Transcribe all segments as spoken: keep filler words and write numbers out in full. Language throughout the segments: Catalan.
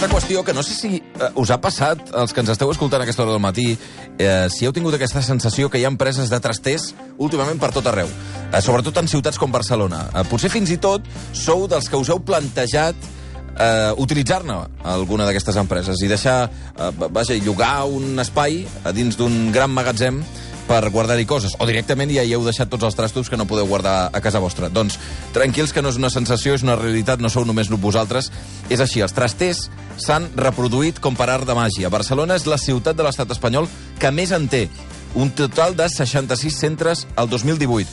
altra qüestió que no sé si eh, us ha passat, els que ens esteu escoltant a aquesta hora del matí, eh, si heu tingut aquesta sensació que hi ha empreses de trasters últimament per tot arreu, eh, sobretot en ciutats com Barcelona. Eh, potser fins i tot sou dels que us heu plantejat eh, utilitzar-ne alguna d'aquestes empreses i deixar, eh, vaja, llogar un espai a dins d'un gran magatzem per guardar-hi coses, o directament ja hi heu deixat tots els trastos que no podeu guardar a casa vostra. Doncs tranquils, que no és una sensació, és una realitat, no sou només vosaltres. És així, els trasters s'han reproduït com per art de màgia. Barcelona és la ciutat de l'estat espanyol que més en té, un total de seixanta-sis centres al dos mil divuit.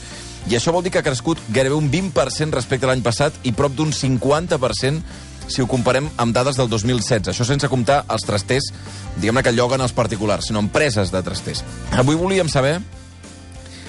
I això vol dir que ha crescut gairebé un vint per cent respecte a l'any passat i prop d'un cinquanta per cent si ho comparem amb dades del dos mil setze. Això sense comptar els trasters, diguem-ne, que lloguen els particulars, sinó empreses de trasters. Avui volíem saber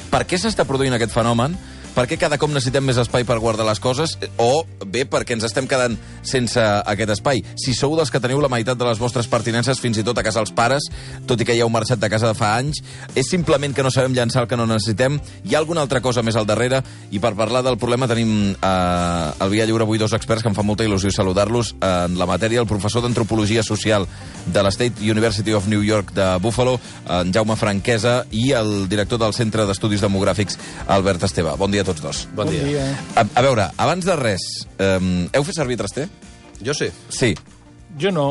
per què s'està produint aquest fenomen, per què cada cop necessitem més espai per guardar les coses, o bé perquè ens estem quedant sense aquest espai. Si sou dels que teniu la meitat de les vostres pertinences fins i tot a casa dels pares, tot i que ja heu marxat de casa de fa anys, és simplement que no sabem llançar el que no necessitem, hi ha alguna altra cosa més al darrere, i per parlar del problema tenim eh, al Via Lliure avui dos experts que em fa molta il·lusió saludar-los en la matèria, el professor d'Antropologia Social de la State University of New York de Buffalo, en Jaume Franquesa, i el director del Centre d'Estudis Demogràfics, Albert Esteve. Bon dia a tots dos. Bon, bon dia. dia. A, a veure, abans de res, um, heu fet servir traster? Jo sí. Sí. Jo no.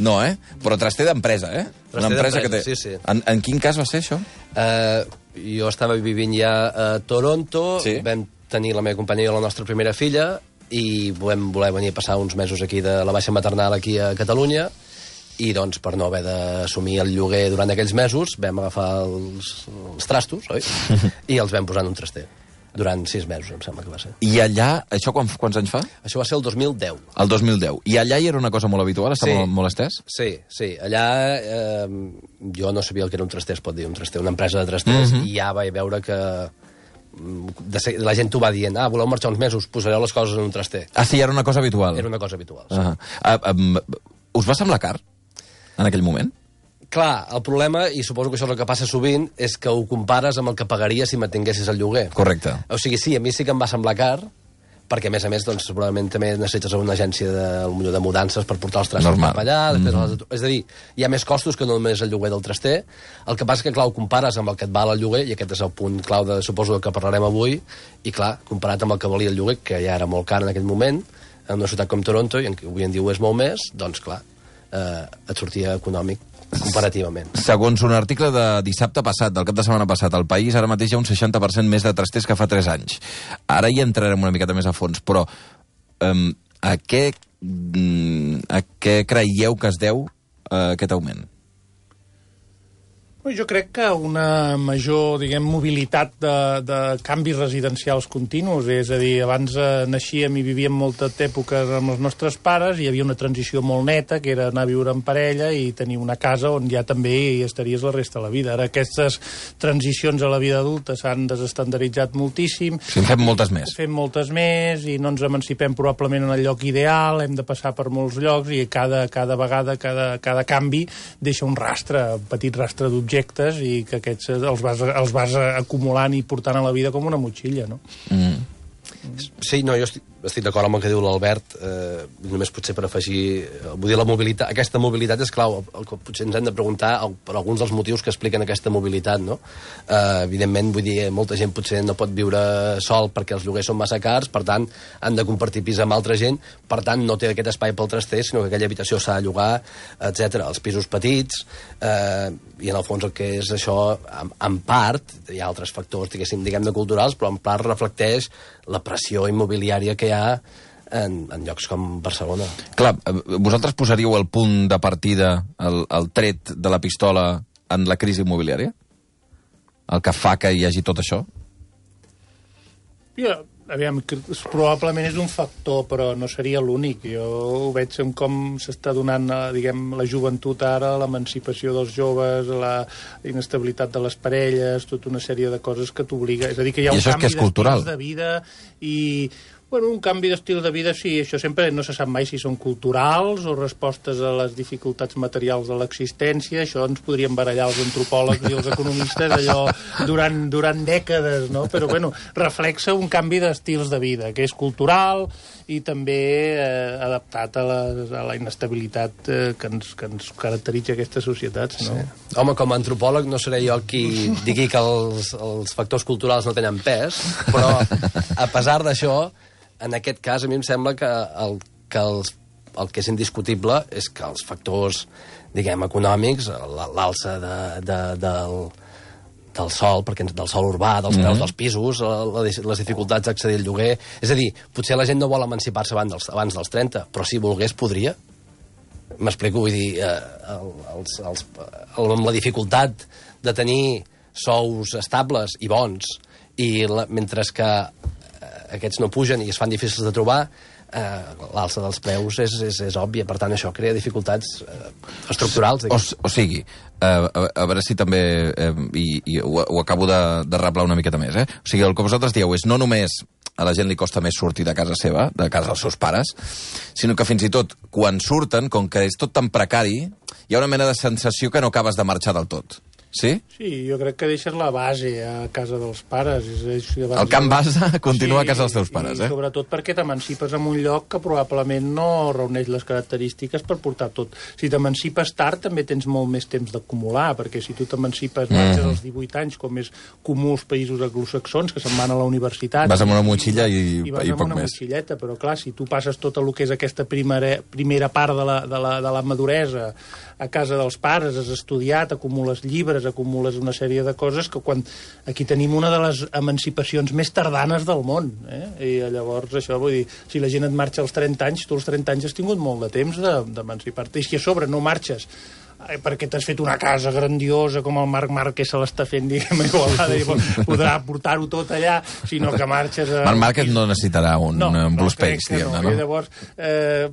No, eh? Però traster d'empresa, eh? Traster Una empresa que té... sí, sí. En, en quin cas va ser això? Uh, jo estava vivint ja a Toronto, sí. Vam tenir la meva companya i la nostra primera filla, i vam voler venir a passar uns mesos aquí de la baixa maternal aquí a Catalunya, i doncs per no haver d'assumir el lloguer durant aquells mesos vam agafar els, els trastos, oi? I els vam posar en un traster. Durant sis mesos, em sembla que va ser. I allà, això quan, quants anys fa? Això va ser el dos mil deu. El dos mil deu. I allà hi era una cosa molt habitual? Està sí. molt, molt estès? Sí, sí. Allà eh, jo no sabia el que era un traster, es pot dir, un traster, una empresa de trasters, mm -hmm. i ja vaig veure que de ser, la gent t'ho va dient, ah, voleu marxar uns mesos, posareu les coses en un traster. Ah, sí, era una cosa habitual. Era una cosa habitual, sí. Uh -huh. uh, um, us va semblar car, en aquell moment? Clar, el problema, i suposo que això és el que passa sovint, és que ho compares amb el que pagaries si mantinguessis el lloguer. Correcte. O sigui, sí, a mi sí que em va semblar car, perquè, a més a més, doncs, segurament també necessites una agència de, de mudances per portar els trastos cap allà. Després mm -hmm. És a dir, hi ha més costos que no només el lloguer del traster. El que passa és que, clar, ho compares amb el que et val el lloguer, i aquest és el punt clau, de, suposo, que parlarem avui, i, clar, comparat amb el que valia el lloguer, que ja era molt car en aquell moment, en una ciutat com Toronto, i en avui en dia ho és molt més, doncs, clar, eh, et sortia econòmic comparativament. Segons un article de dissabte passat, del cap de setmana passat, al País ara mateix hi ha un seixanta per cent més de trasters que fa tres anys. Ara hi entrarem una miqueta més a fons, però um, a, què, a què creieu que es deu uh, aquest augment? Jo crec que una major, diguem, mobilitat de, de canvis residencials continus, és a dir, abans eh, naixíem i vivíem molta època amb els nostres pares, hi havia una transició molt neta, que era anar a viure en parella i tenir una casa on ja també hi estaries la resta de la vida. Ara aquestes transicions a la vida adulta s'han desestandarditzat moltíssim. Sí, en fem moltes més. Fem moltes més i no ens emancipem probablement en el lloc ideal, hem de passar per molts llocs i cada, cada vegada, cada, cada canvi deixa un rastre, un petit rastre d'objectes, i que aquests els vas, els vas acumulant i portant a la vida com una motxilla, no? Mm. Sí, no, jo estic, estic d'acord amb el que diu l'Albert, eh, només potser per afegir, eh, vull dir, la mobilitat, aquesta mobilitat és clau, el, el que potser ens hem de preguntar el, per alguns dels motius que expliquen aquesta mobilitat, no? Eh, evidentment, vull dir, molta gent potser no pot viure sol perquè els lloguers són massa cars, per tant, han de compartir pis amb altra gent, per tant, no té aquest espai pel traster, sinó que aquella habitació s'ha de llogar, etcètera. Els pisos petits, eh, i en el fons el que és això, en, en part, hi ha altres factors, diguéssim, diguem-ne culturals, però en part reflecteix la pressió immobiliària que hi ha en, en llocs com Barcelona. Clar, vosaltres posaríeu el punt de partida, el, el tret de la pistola en la crisi immobiliària? El que fa que hi hagi tot això? Ja, aviam, probablement és un factor, però no seria l'únic. Jo ho veig en com s'està donant, diguem, la joventut ara, l'emancipació dels joves, la inestabilitat de les parelles, tota una sèrie de coses que t'obliga. És a dir, que hi ha I un això és que canvi és cultural. d'estils de vida i Bueno, un canvi d'estil de vida, sí, això sempre no se sap mai si són culturals o respostes a les dificultats materials de l'existència. Això ens podrien barallar els antropòlegs i els economistes allò durant, durant dècades, no? Però, bueno, reflexa un canvi d'estils de vida, que és cultural i també eh, adaptat a la, a la inestabilitat eh, que, ens, que ens caracteritza aquestes societats, no? Sí. Home, com a antropòleg no seré jo qui digui que els, els factors culturals no tenen pes, però a pesar d'això, en aquest cas, a mi em sembla que el que, els, el que és indiscutible és que els factors, diguem, econòmics, l'alça de, de, del, del sol, perquè del sol urbà, dels preus mm-hmm. dels pisos, la, les dificultats d'accedir al lloguer... És a dir, potser la gent no vol emancipar-se abans dels, abans dels trenta, però si volgués podria. M'explico, vull dir, eh, els, els, el, amb la dificultat de tenir sous estables i bons, i la, mentre que aquests no pugen i es fan difícils de trobar, eh, l'alça dels preus és, és, és òbvia. Per tant, això crea dificultats eh, estructurals. O, o sigui, eh, a, a veure si també, eh, i, i ho, ho acabo de, de reblar una miqueta més, eh? O sigui, el que vosaltres dieu és no només a la gent li costa més sortir de casa seva, de casa dels seus pares, sinó que fins i tot, quan surten, com que és tot tan precari, hi ha una mena de sensació que no acabes de marxar del tot. Sí? Sí, jo crec que deixes la base a casa dels pares. És, és, el camp base continua sí, a casa dels teus pares, eh? Sobretot perquè t'emancipes en un lloc que probablement no reuneix les característiques per portar tot. Si t'emancipes tard també tens molt més temps d'acumular, perquè si tu t'emancipes mm. marxes als divuit anys, com és comú als països anglosaxons, que se'n van a la universitat... Vas amb una motxilla i, i, i vas i amb poc una més. Motxilleta, però clar, si tu passes tot el que és aquesta primera, primera part de la, de, la, de la maduresa a casa dels pares, has estudiat, acumules llibres, acumules una sèrie de coses que quan... Aquí tenim una de les emancipacions més tardanes del món, eh? I llavors això, vull dir, si la gent et marxa als trenta anys, tu als trenta anys has tingut molt de temps d'emancipar-te, i si a sobre no marxes perquè t'has fet una casa grandiosa com el Marc Márquez se l'està fent, diguem, a Igualada, i podrà portar-ho tot allà, sinó que marxes... A... Marc Márquez no necessitarà un, no, un Blue no, Space, diguem-ne, no? no? I llavors eh,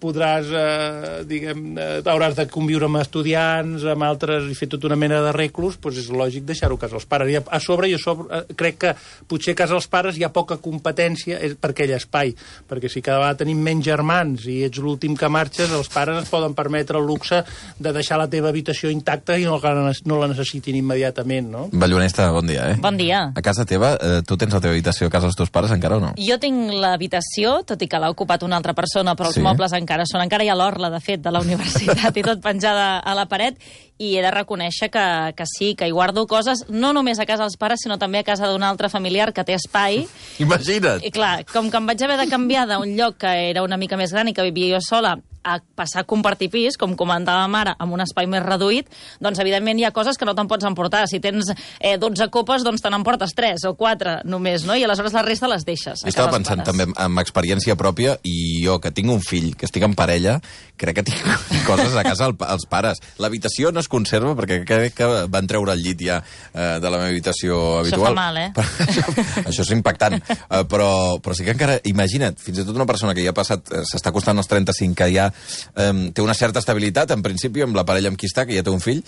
podràs, eh, diguem, eh, hauràs de conviure amb estudiants, amb altres, i fer tota una mena d'arreglos, doncs és lògic deixar-ho a casa dels pares. I a, a sobre, jo sobre, eh, crec que potser a casa dels pares hi ha poca competència per aquell espai, perquè si cada vegada tenim menys germans i ets l'últim que marxes, els pares es poden permetre el luxe de deixar la teva habitació intacta i no la, no la necessitin immediatament, no? Ballonesta, bon dia, eh? Bon dia. A casa teva, eh, tu tens la teva habitació a casa dels teus pares encara o no? Jo tinc l'habitació, tot i que l'ha ocupat una altra persona, però els sí? mobles encara són. Encara hi ha l'orla, de fet, de la universitat i tot penjada a la paret, i he de reconèixer que, que sí, que hi guardo coses, no només a casa dels pares, sinó també a casa d'un altre familiar que té espai. Imagina't! I clar, com que em vaig haver de canviar d'un lloc que era una mica més gran i que vivia jo sola a passar a compartir pis, com comentava mare, amb un espai més reduït, doncs evidentment hi ha coses que no te'n pots emportar. Si tens eh, dotze copes, doncs te n'emportes tres o quatre només, no? I aleshores la resta les deixes. Jo estava pensant pares. també amb experiència pròpia, i jo, que tinc un fill, que estic en parella, crec que tinc coses a casa al, als pares. L'habitació no es conserva, perquè crec que van treure el llit ja eh, de la meva habitació habitual. Això fa mal, eh? això, això és impactant. Uh, però, però sí que encara, imagina't, fins i tot una persona que ja ha passat, uh, s'està costant els trenta-cinc, que ja Um, té una certa estabilitat, en principi, amb la parella amb qui està, que ja té un fill,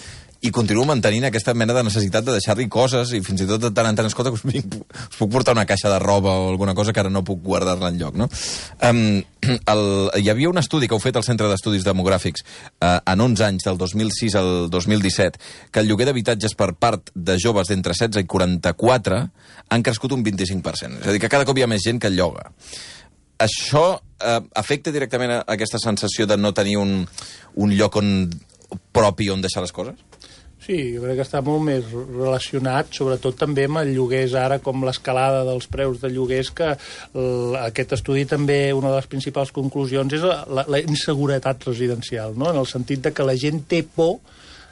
i continua mantenint aquesta mena de necessitat de deixar-li coses, i fins i tot de tant en tant, escolta, us, vinc, us puc portar una caixa de roba o alguna cosa que ara no puc guardar-la enlloc, no? Um, el, hi havia un estudi que heu fet al Centre d'Estudis Demogràfics uh, en onze anys, del dos mil sis al dos mil disset, que el lloguer d'habitatges per part de joves d'entre setze i quaranta-quatre han crescut un vint-i-cinc per cent. És a dir, que cada cop hi ha més gent que el lloga. Això eh, afecta directament a aquesta sensació de no tenir un, un lloc on, propi on deixar les coses? Sí, jo crec que està molt més relacionat, sobretot també amb el lloguers ara, com l'escalada dels preus de lloguers, que l, aquest estudi també, una de les principals conclusions és la, la, la inseguretat residencial, no? En el sentit de que la gent té por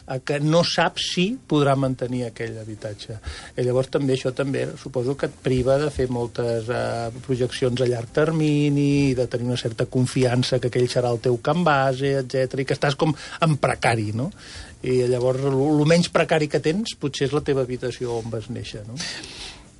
a que no sap si podrà mantenir aquell habitatge. I llavors també això també suposo que et priva de fer moltes uh, projeccions a llarg termini, de tenir una certa confiança que aquell serà el teu camp base, etcètera, i que estàs com en precari, no? I llavors el menys precari que tens potser és la teva habitació on vas néixer, no?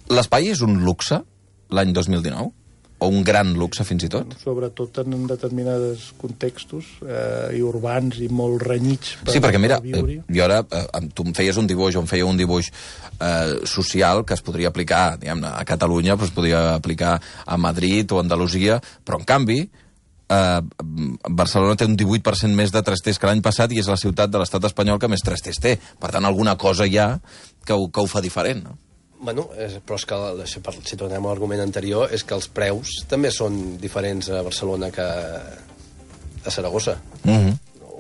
L'espai és un luxe l'any dos mil dinou? o un gran luxe, fins i tot? Sobretot en determinats contextos eh, i urbans i molt renyits per, sí, perquè mira, per viure. eh, jo ara, eh, tu em feies un dibuix, o em feia un dibuix eh, social que es podria aplicar, diguem-ne, a Catalunya, però es podria aplicar a Madrid o a Andalusia, però en canvi eh, Barcelona té un divuit per cent més de trasters que l'any passat i és la ciutat de l'estat espanyol que més trasters té. Per tant, alguna cosa hi ha que ho, que ho fa diferent, no? Bueno, és, però és que, si tornem a l'argument anterior, és que els preus també són diferents a Barcelona que a Saragossa. Mm-hmm.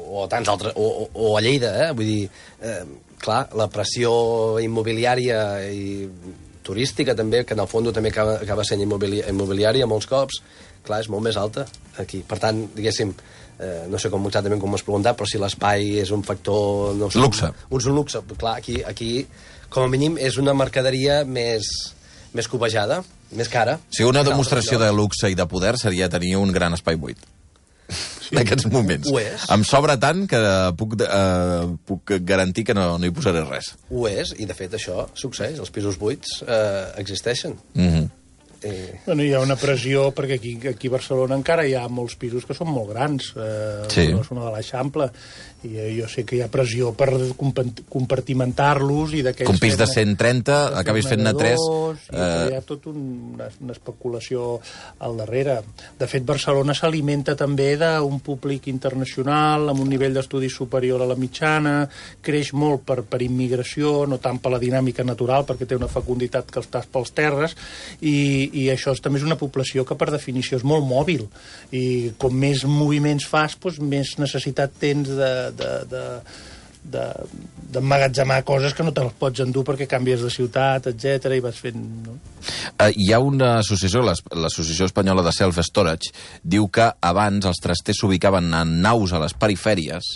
O a tants altres, o, o, o a Lleida, eh? Vull dir, eh, clar, la pressió immobiliària i turística també, que en el fons també acaba, acaba sent immobili immobiliària molts cops, clar, és molt més alta aquí. Per tant, diguéssim, eh, no sé com exactament com m'has preguntat, però si l'espai és un factor... No sé, luxe. Un, un luxe. Clar, aquí, aquí, com a mínim, és una mercaderia més, més cobejada, més cara. O sigui, una demostració de luxe i de poder seria tenir un gran espai buit. Sí. En aquests moments. Ho és. Em sobra tant que puc, eh, puc garantir que no, no hi posaré res. Ho és, i de fet això succeeix. Els pisos buits eh, existeixen. Mm-hmm. Eh... Bueno, hi ha una pressió, perquè aquí, aquí a Barcelona encara hi ha molts pisos que són molt grans, eh, sí. La zona de l'Eixample, i eh, jo sé que hi ha pressió per compartimentar-los i d'aquells... Un pis de cent trenta, acabis fent-ne tres... Eh... Hi ha tota un, una, una especulació al darrere. De fet, Barcelona s'alimenta també d'un públic internacional, amb un nivell d'estudis superior a la mitjana, creix molt per, per immigració, no tant per la dinàmica natural, perquè té una fecunditat que està pels terres, i i això també és una població que per definició és molt mòbil i com més moviments fas, doncs més necessitat tens de, de, de, de, d'emmagatzemar coses que no te les pots endur perquè canvies de ciutat, etcètera, i vas fent... No? Uh, hi ha una associació, l'Associació Espanyola de Self-Storage, diu que abans els trasters s'ubicaven en naus a les perifèries,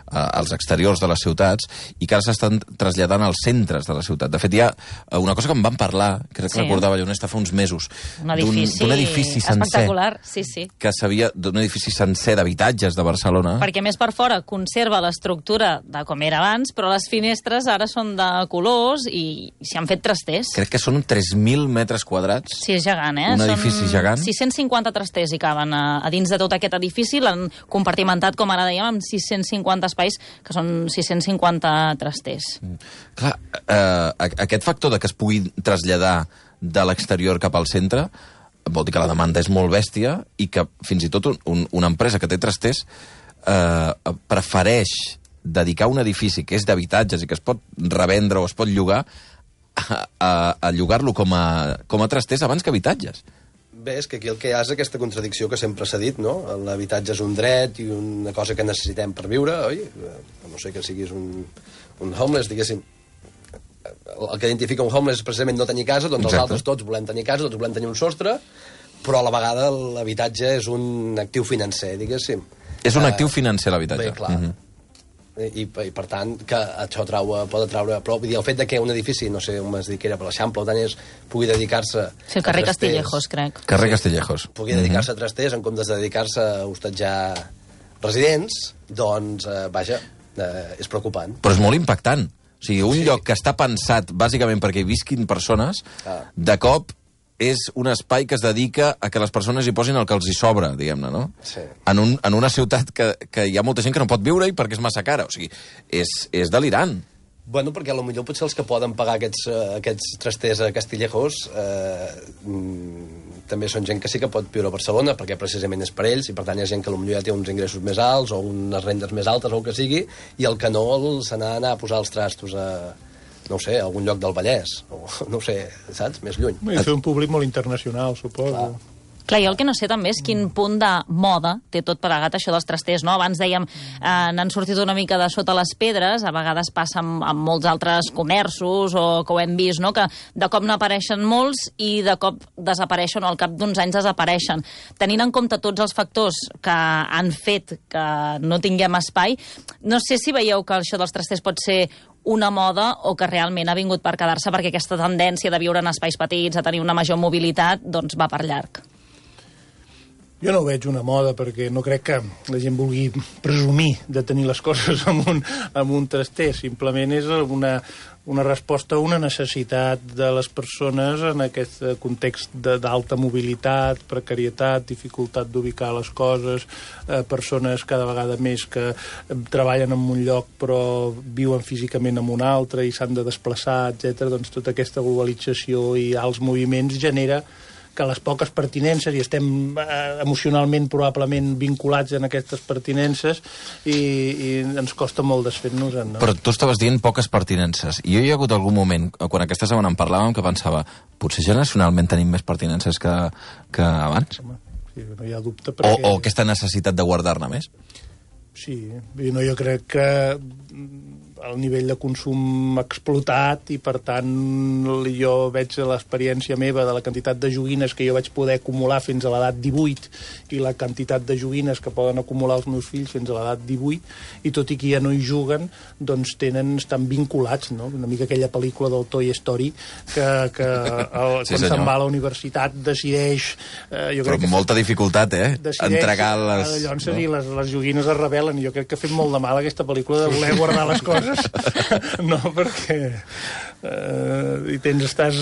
als exteriors de les ciutats, i que ara s'estan traslladant als centres de la ciutat. De fet, hi ha una cosa que em van parlar, crec que sí. recordava Llonesta fa uns mesos, un edifici, d'un edifici sencer, espectacular, sí, sí. que s'havia d'un edifici sencer d'habitatges de Barcelona. Perquè més per fora conserva l'estructura de com era abans, però les finestres ara són de colors i s'hi han fet trasters. Crec que són tres mil metres quadrats. Sí, és gegant, eh? Un són edifici gegant. sis-cents cinquanta trasters hi caben a, a dins de tot aquest edifici, l'han compartimentat, com ara dèiem, amb sis-cents cinquanta espais, que són sis-cents cinquanta trasters. Mm. Clar, eh, aquest factor de que es pugui traslladar de l'exterior cap al centre vol dir que la demanda és molt bèstia i que fins i tot un, un, una empresa que té trasters eh, prefereix dedicar un edifici que és d'habitatges i que es pot revendre o es pot llogar a, a, a llogar-lo com a, com a trasters abans que habitatges. Bé, és que aquí el que hi ha és aquesta contradicció que sempre s'ha dit, no? L'habitatge és un dret i una cosa que necessitem per viure, oi? No sé que siguis un, un homeless, diguéssim. El que identifica un homeless és precisament no tenir casa, doncs Exacte. Els altres tots volem tenir casa, tots volem tenir un sostre, però a la vegada l'habitatge és un actiu financer, diguéssim. És un actiu financer, l'habitatge. Bé, clar. Mm-hmm. I, i per tant que això trau, pot atraure, però vull dir, el fet de que un edifici, no sé on es dic que era per l'Eixample o tant és, pugui dedicar-se sí, el carrer Castillejos, crec carrer Castillejos pugui dedicar-se a trasters en comptes de dedicar-se a hostatjar residents, doncs eh, vaja, eh, és preocupant, però és molt impactant, o sigui, un sí. lloc que està pensat bàsicament perquè hi visquin persones, ah. de cop és un espai que es dedica a que les persones hi posin el que els hi sobra, diguem-ne, no? Sí. En, un, en una ciutat que, que hi ha molta gent que no pot viure-hi perquè és massa cara. O sigui, és, és delirant. Bueno, perquè potser potser els que poden pagar aquests, uh, aquests trasters a Castillejos eh, mm, també són gent que sí que pot viure a Barcelona, perquè precisament és per ells, i per tant hi ha gent que potser ja té uns ingressos més alts o unes rendes més altes o el que sigui, i el que no se n'ha d'anar a posar els trastos a... no sé, a algun lloc del Vallès, o no sé, saps? Més lluny. I fer un públic molt internacional, suposo. Clar. Clar, jo el que no sé també és quin punt de moda té tot plegat això dels trasters, no? Abans dèiem, eh, n'han sortit una mica de sota les pedres, a vegades passa amb, amb molts altres comerços, o que ho hem vist, no? Que de cop n'apareixen molts i de cop desapareixen, o al cap d'uns anys desapareixen. Tenint en compte tots els factors que han fet que no tinguem espai, no sé si veieu que això dels trasters pot ser una moda o que realment ha vingut per quedar-se perquè aquesta tendència de viure en espais petits, a tenir una major mobilitat, doncs va per llarg. Jo no ho veig una moda perquè no crec que la gent vulgui presumir de tenir les coses amb un, amb un traster. Simplement és una, una resposta a una necessitat de les persones en aquest context d'alta mobilitat, precarietat, dificultat d'ubicar les coses, eh, persones cada vegada més que treballen en un lloc però viuen físicament en un altre i s'han de desplaçar, etcètera. Doncs tota aquesta globalització i alts moviments genera que les poques pertinences, i estem eh, emocionalment probablement vinculats en aquestes pertinences, i, i ens costa molt desfer-nos-en. No? Però tu estaves dient poques pertinences, i jo hi ha hagut algun moment, quan aquesta setmana en parlàvem, que pensava, potser generacionalment tenim més pertinences que, que abans? Home, sí, no hi ha dubte. Perquè... O, o aquesta necessitat de guardar-ne més? Sí, no, jo crec que el nivell de consum explotat i, per tant, jo veig l'experiència meva de la quantitat de joguines que jo vaig poder acumular fins a l'edat divuit i la quantitat de joguines que poden acumular els meus fills fins a l'edat divuit, i tot i que ja no hi juguen, doncs tenen, estan vinculats, no? Una mica aquella pel·lícula del Toy Story que, que el, sí, quan se'n va a la universitat decideix... Eh, jo Però crec amb molta que dificultat, eh? Entregar les... Llavors, no? les, les joguines es rebel·len, i jo crec que ha fet molt de mal aquesta pel·lícula de voler guardar les coses. No, perquè eh, i tens, estàs,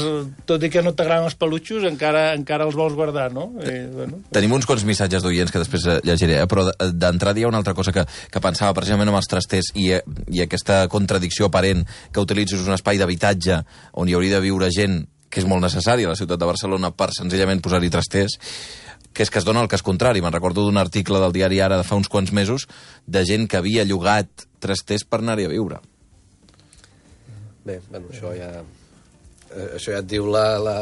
tot i que no t'agraden els peluixos, encara, encara els vols guardar, no? I, bueno. Tenim uns quants missatges d'oients que després llegiré, eh? Però d'entrada hi ha una altra cosa que, que pensava precisament amb els trasters i, i aquesta contradicció aparent que utilitzis un espai d'habitatge on hi hauria de viure gent que és molt necessària a la ciutat de Barcelona per senzillament posar-hi trasters, que és que es dona el cas contrari. Me'n recordo d'un article del diari Ara de fa uns quants mesos de gent que havia llogat trasters per anar-hi a viure. Bé, bueno, això ja... Eh, això ja et diu la, la,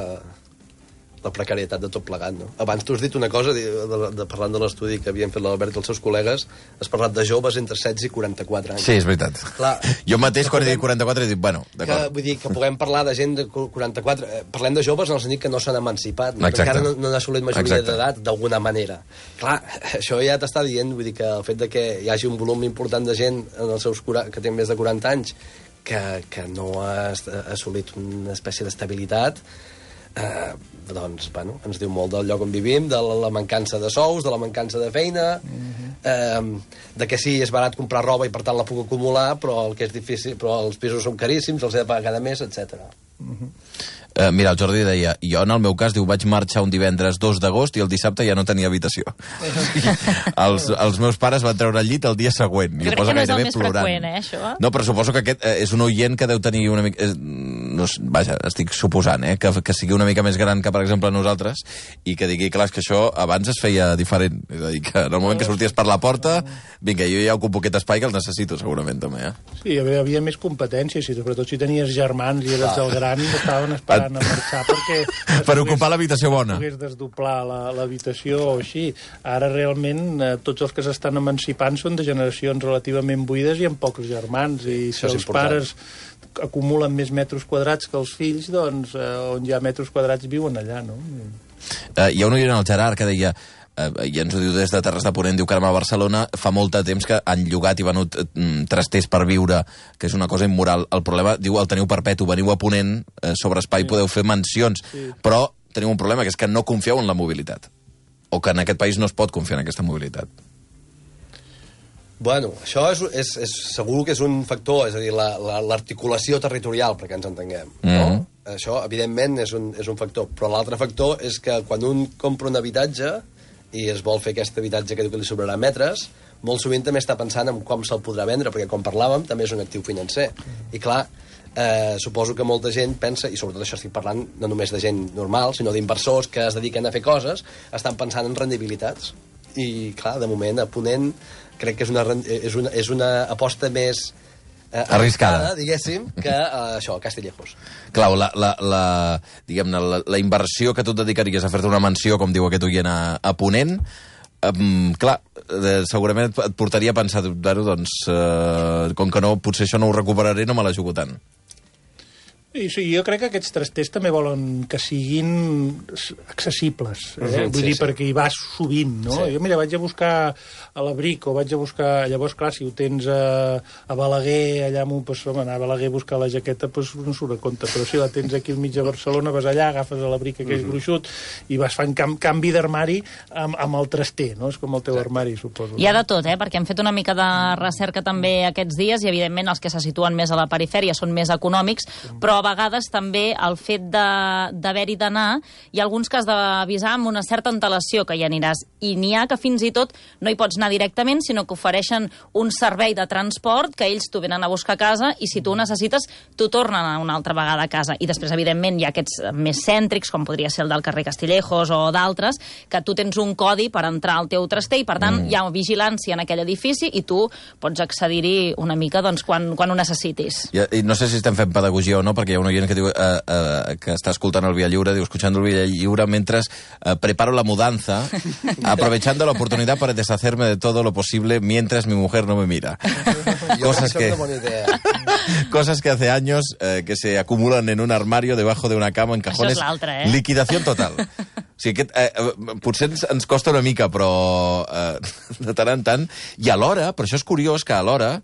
la precarietat de tot plegat, no? Abans tu has dit una cosa, de, de, de, parlant de l'estudi que havien fet l'Albert i els seus col·legues, has parlat de joves entre setze i quaranta-quatre anys. Sí, és veritat. Clar, jo mateix, quan he dit quaranta-quatre, he dit, bueno, d'acord. Vull dir, que puguem parlar de gent de quaranta-quatre... Eh, parlem de joves en el sentit que no s'han emancipat, no? Que encara no, no han assolit majoria d'edat, d'alguna manera. Clar, això ja t'està dient, vull dir, que el fet de que hi hagi un volum important de gent en els seus que té més de quaranta anys que, que no ha assolit una espècie d'estabilitat, eh, doncs, bueno, ens diu molt del lloc on vivim, de la, la mancança de sous, de la mancança de feina, uh-huh. eh, de que sí, és barat comprar roba i per tant la puc acumular, però el que és difícil, però els pisos són caríssims, els he de pagar cada mes, etcètera. Uh-huh. Uh, mira, el Jordi deia, jo en el meu cas, diu, vaig marxar un divendres dos d'agost i el dissabte ja no tenia habitació. els, els meus pares van treure el llit el dia següent. Jo crec que no és el més plorant. Freqüent, eh, això? No, però suposo que aquest eh, és un oient que deu tenir una mica... Eh, no, vaja, estic suposant, eh, que, que sigui una mica més gran que, per exemple, nosaltres, i que digui, clar, que això abans es feia diferent. És a dir, que en el moment que sorties per la porta, vinga, jo ja ocupo aquest espai que el necessito, segurament, també, eh? Sí, hi havia, havia més competències, i sobretot si tenies germans i eres ah. el gran, estaven esperant a marxar perquè... per ocupar l'habitació bona. Pogués desdoblar l'habitació o així. Ara, realment, eh, tots els que s'estan emancipant són de generacions relativament buides i amb pocs germans, i si els pares acumulen més metres quadrats que els fills, doncs, eh, on hi ha metres quadrats viuen allà, no? Uh, hi ha un oient al Gerard que deia, uh, i ens ho diu des de Terres de Ponent, diu que a Barcelona fa molt de temps que han llogat i venut uh, trasters per viure, que és una cosa immoral. El problema, diu, el teniu perpetu, veniu a Ponent, uh, sobre espai, sí. Podeu fer mansions, sí. Però teniu un problema, que és que no confieu en la mobilitat, o que en aquest país no es pot confiar en aquesta mobilitat. Bueno, això és, és, és segur que és un factor, és a dir, l'articulació la, la, territorial, perquè ens entenguem, no? Mm-hmm. Això, evidentment, és un, és un factor. Però l'altre factor és que quan un compra un habitatge i es vol fer aquest habitatge que diu que li sobrarà metres, molt sovint també està pensant en com se'l podrà vendre, perquè, com parlàvem, també és un actiu financer. I, clar, eh, suposo que molta gent pensa, i sobretot això estic parlant no només de gent normal, sinó d'inversors que es dediquen a fer coses, estan pensant en rendibilitats. I, clar, de moment, a Ponent, crec que és una, és una, és una aposta més eh, arriscada, diguéssim, que eh, això, Castillejos. Clau, la, la, la, diguem-ne, la, la inversió que tu et dedicaries a fer-te una mansió, com diu aquest oient, a, a Ponent, um, clar, eh, segurament et portaria a pensar, bueno, doncs, eh, com que no, potser això no ho recuperaré, no me la jugo tant. I sí, jo crec que aquests trasters també volen que siguin accessibles, eh? Mm-hmm, Vull sí, dir, sí. perquè hi vas sovint, no? Sí. Jo, mira, vaig a buscar a l'Abric o vaig a buscar... Llavors, clar, si ho tens a, a Balaguer, allà amb un... Pues, home, anar a Balaguer a buscar la jaqueta, pues, no surt a compte, però si la tens aquí al mig de Barcelona, vas allà, agafes a l'Abric aquell mm-hmm. gruixut i vas fent cam canvi d'armari amb, amb el traster, no? És com el teu sí. armari, suposo. Hi ha de tot, eh? Perquè hem fet una mica de recerca també aquests dies i, evidentment, els que se situen més a la perifèria són més econòmics, però a vegades també el fet d'haver-hi d'anar, hi ha alguns que has d'avisar amb una certa antelació que hi aniràs, i n'hi ha que fins i tot no hi pots anar directament, sinó que ofereixen un servei de transport que ells t'ho venen a buscar a casa i si tu ho necessites, t'ho tornen una altra vegada a casa. I després, evidentment, hi ha aquests més cèntrics, com podria ser el del carrer Castillejos o d'altres, que tu tens un codi per entrar al teu traster i, per tant, mm. hi ha vigilància en aquell edifici i tu pots accedir-hi una mica doncs, quan, quan ho necessitis. I, I no sé si estem fent pedagogia o no, perquè hi ha un oient que diu eh, eh, que està escoltant el Via Lliure, diu, escuchando el Via Lliure mientras eh, preparo la mudanza, aprovechando la oportunidad para deshacerme de todo lo posible mientras mi mujer no me mira. Cosas que, cosas que hace años eh, que se acumulan en un armario debajo de una cama en cajones. Això és l'altre, eh? Liquidació total. O sigui, aquest, eh, potser ens, ens costa una mica, però eh, de tant en tant. I alhora, per això és curiós que alhora,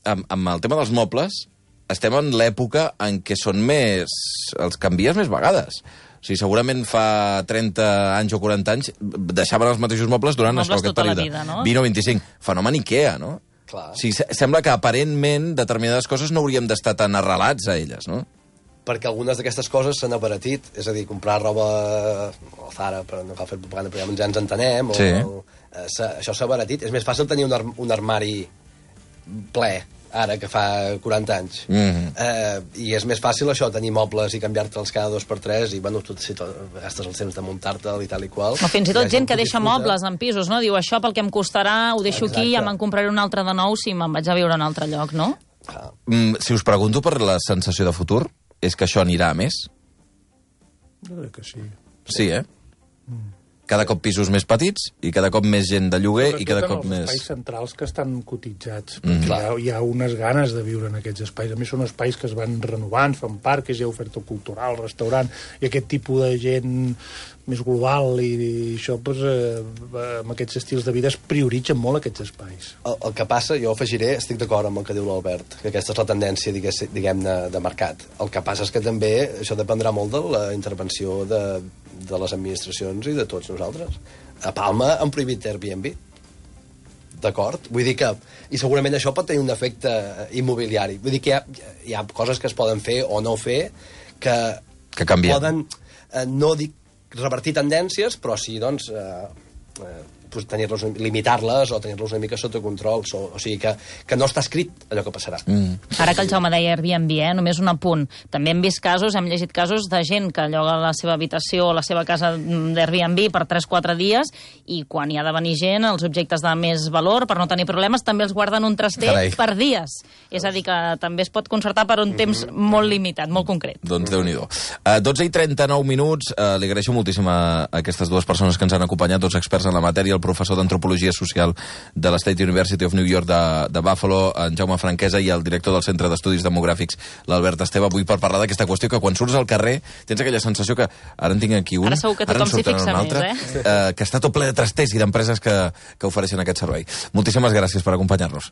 amb, amb el tema dels mobles, estem en l'època en què són més... els canvies més vegades. O sigui, segurament fa trenta anys o quaranta anys deixaven els mateixos mobles durant mobles això, aquest tota la període. vida, no? vint o vint-i-cinc. Fenomen Ikea, no? Clar. O sigui, sembla que aparentment determinades coses no hauríem d'estar tan arrelats a elles, no? Perquè algunes d'aquestes coses s'han abaratit, és a dir, comprar roba al Zara, però no cal fer propaganda, però ja ens entenem, o, Sí. o, eh, això s'ha abaratit. És més fàcil tenir un, ar un armari ple, ara, que fa quaranta anys. Mm-hmm. eh, I és més fàcil això, tenir mobles i canviar-te'ls cada dos per tres, i, bueno, tu si tot, gastes el temps de muntar-te'l i tal i qual. O fins i tot I gent que ho deixa disfruta. mobles en pisos, no? Diu, això pel que em costarà, ho deixo Exacte. aquí, ja me'n compraré un altre de nou si me'n vaig a viure a un altre lloc, no? Ah. Mm, si us pregunto per la sensació de futur, és que això anirà a més? Jo crec que sí. Sí, eh? Cada cop pisos més petits i cada cop més gent de lloguer i cada cop Sobretot en els més... espais centrals que estan cotitzats, Mm, perquè clar. hi, ha, hi ha unes ganes de viure en aquests espais. A més, són espais que es van renovant, fan parcs, hi ha oferta cultural, restaurant, i aquest tipus de gent més global i, i això, doncs, eh, amb aquests estils de vida es prioritzen molt aquests espais. El, el que passa, jo afegiré, estic d'acord amb el que diu l'Albert, que aquesta és la tendència, diguem-ne, de mercat. El que passa és que també això dependrà molt de la intervenció de, de les administracions i de tots nosaltres. A Palma han prohibit Airbnb. D'acord? Vull dir que... I segurament això pot tenir un efecte immobiliari. Vull dir que hi ha, hi ha coses que es poden fer o no fer que, Que canvien. poden, eh, no dic revertir tendències, però sí, doncs, eh, eh, pues, tenir-los, limitar-les o tenir-los una mica sota control. So, o sigui, que, que no està escrit allò que passarà. Mm. Ara que el Jaume deia Airbnb, eh, només un apunt. També hem vist casos, hem llegit casos de gent que lloga la seva habitació o la seva casa d'Airbnb per tres o quatre dies i quan hi ha de venir gent, els objectes de més valor, per no tenir problemes, també els guarden un traster Carai. per dies. És a dir, que també es pot concertar per un temps molt limitat, molt concret. Doncs Déu-n'hi-do. Uh, dotze i trenta-nou minuts. Uh, li agraeixo moltíssim a, a aquestes dues persones que ens han acompanyat, dos experts en la matèria, el professor d'Antropologia Social de la State University of New York de, de Buffalo, en Jaume Franquesa, i el director del Centre d'Estudis Demogràfics, l'Albert Esteve, avui per parlar d'aquesta qüestió que quan surts al carrer tens aquella sensació que ara en tinc aquí un, Ara segur que ara en tothom s'hi surten fixa un altre, més, eh? Uh, que està tot ple de trasters i d'empreses que, que ofereixen aquest servei. Moltíssimes gràcies per acompanyar-nos.